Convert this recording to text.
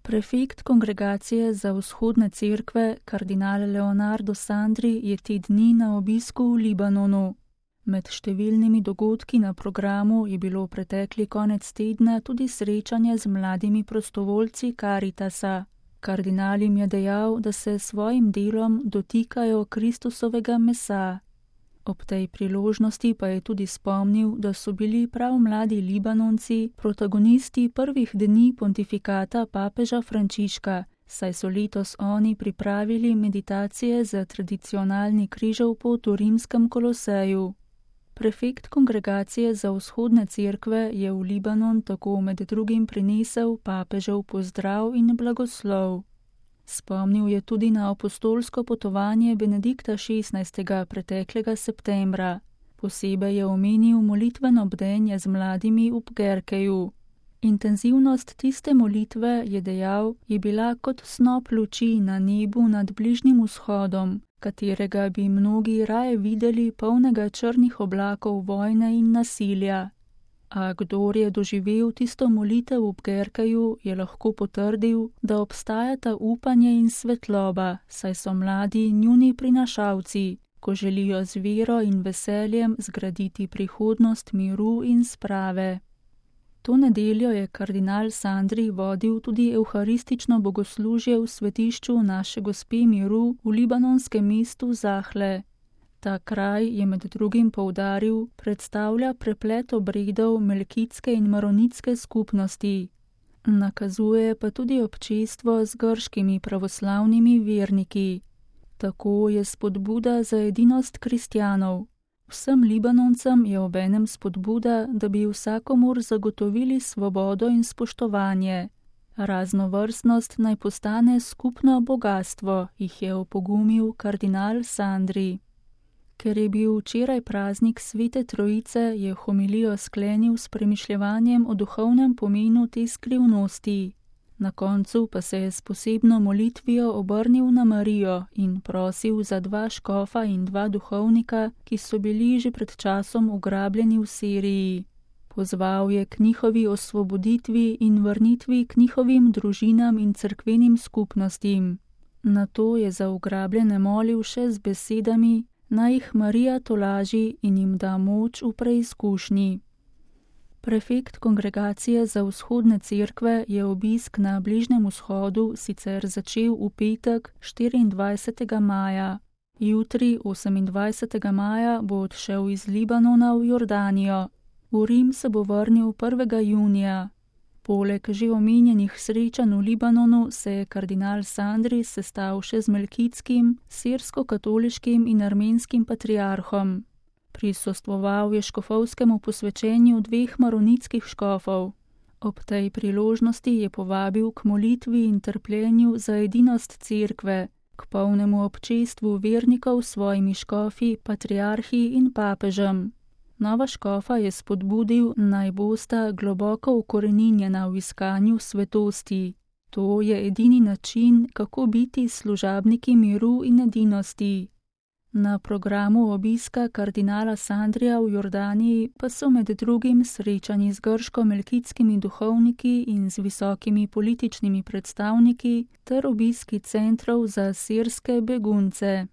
Prefekt Kongregacije za vzhodne cerkve, kardinal Leonardo Sandri, je te dni na obisku v Libanonu. Med številnimi dogodki na programu je bilo pretekli konec tedna tudi srečanje z mladimi prostovoljci Karitasa. Kardinal jim je dejal, da se s svojim delom dotikajo Kristusovega mesa. Ob tej priložnosti pa je tudi spomnil, da so bili prav mladi Libanonci protagonisti prvih dni pontifikata papeža Frančiška, saj so letos oni pripravili meditacije za tradicionalni križev pot v rimskem Koloseju. Prefekt Kongregacije za vzhodne cerkve je v Libanon tako med drugim prinesel papežev pozdrav in blagoslov. Spomnil je tudi na apostolsko potovanje Benedikta XVI. Preteklega septembra. Posebej je omenil molitveno bdenje z mladimi v Pgerkeju. Intenzivnost tiste molitve, je dejal, je bila kot snop luči na nebu nad Bližnjim vzhodom, katerega bi mnogi raje videli polnega črnih oblakov vojne in nasilja. A kdor je doživel tisto molitev v Pgerkeju, je lahko potrdil, da obstajata upanje in svetloba, saj so mladi njuni prinašalci, ko želijo z vero in veseljem zgraditi prihodnost miru in sprave. To nedeljo je kardinal Sandri vodil tudi evharistično bogoslužje v svetišču Naše Gospe miru v libanonskem mestu Zahle. Ta kraj, je med drugim poudaril, predstavlja preplet obredov melkitske in maronitske skupnosti. Nakazuje pa tudi občestvo z grškimi pravoslavnimi verniki. Tako je spodbuda za edinost kristjanov. Vsem Libanoncem je obenem spodbuda, da bi vsakomur zagotovili svobodo in spoštovanje. Raznovrstnost naj postane skupno bogastvo, jih je opogumil kardinal Sandri. Ker je bil včeraj praznik Svete Trojice, je homilijo sklenil s premišljevanjem o duhovnem pomenu te skrivnosti. Na koncu pa se je s posebno molitvijo obrnil na Marijo in prosil za 2 škofa in 2 duhovnika, ki so bili že pred časom ugrabljeni v Siriji. Pozval je k njihovi osvoboditvi in vrnitvi k njihovim družinam in cerkvenim skupnostim. Nato je za ugrabljene molil še z besedami, naj jih Marija tolaži in jim da moč v preizkušnji. Prefekt Kongregacije za vzhodne cerkve je obisk na Bližnjem vzhodu sicer začel v petek 24. maja. Jutri, 28. maja, bo odšel iz Libanona v Jordanijo. V Rim se bo vrnil 1. junija. Poleg že omenjenih srečanj v Libanonu se je kardinal Sandri sestal še z melkitskim, sirsko-katoliškim in armenskim patriarhom. Prisostvoval je škofovskemu posvečenju 2 maronitskih škofov. Ob tej priložnosti je povabil k molitvi in trpljenju za edinost cerkve, k polnemu občestvu vernikov s svojimi škofi, patriarhi in papežem. Nova škofa je spodbudil, naj bosta globoko ukoreninjena v iskanju svetosti. To je edini način, kako biti služabniki miru in edinosti. Na programu obiska kardinala Sandrija v Jordaniji pa so med drugim srečanji z grško-melkitskimi duhovniki in z visokimi političnimi predstavniki ter obiski centrov za sirske begunce.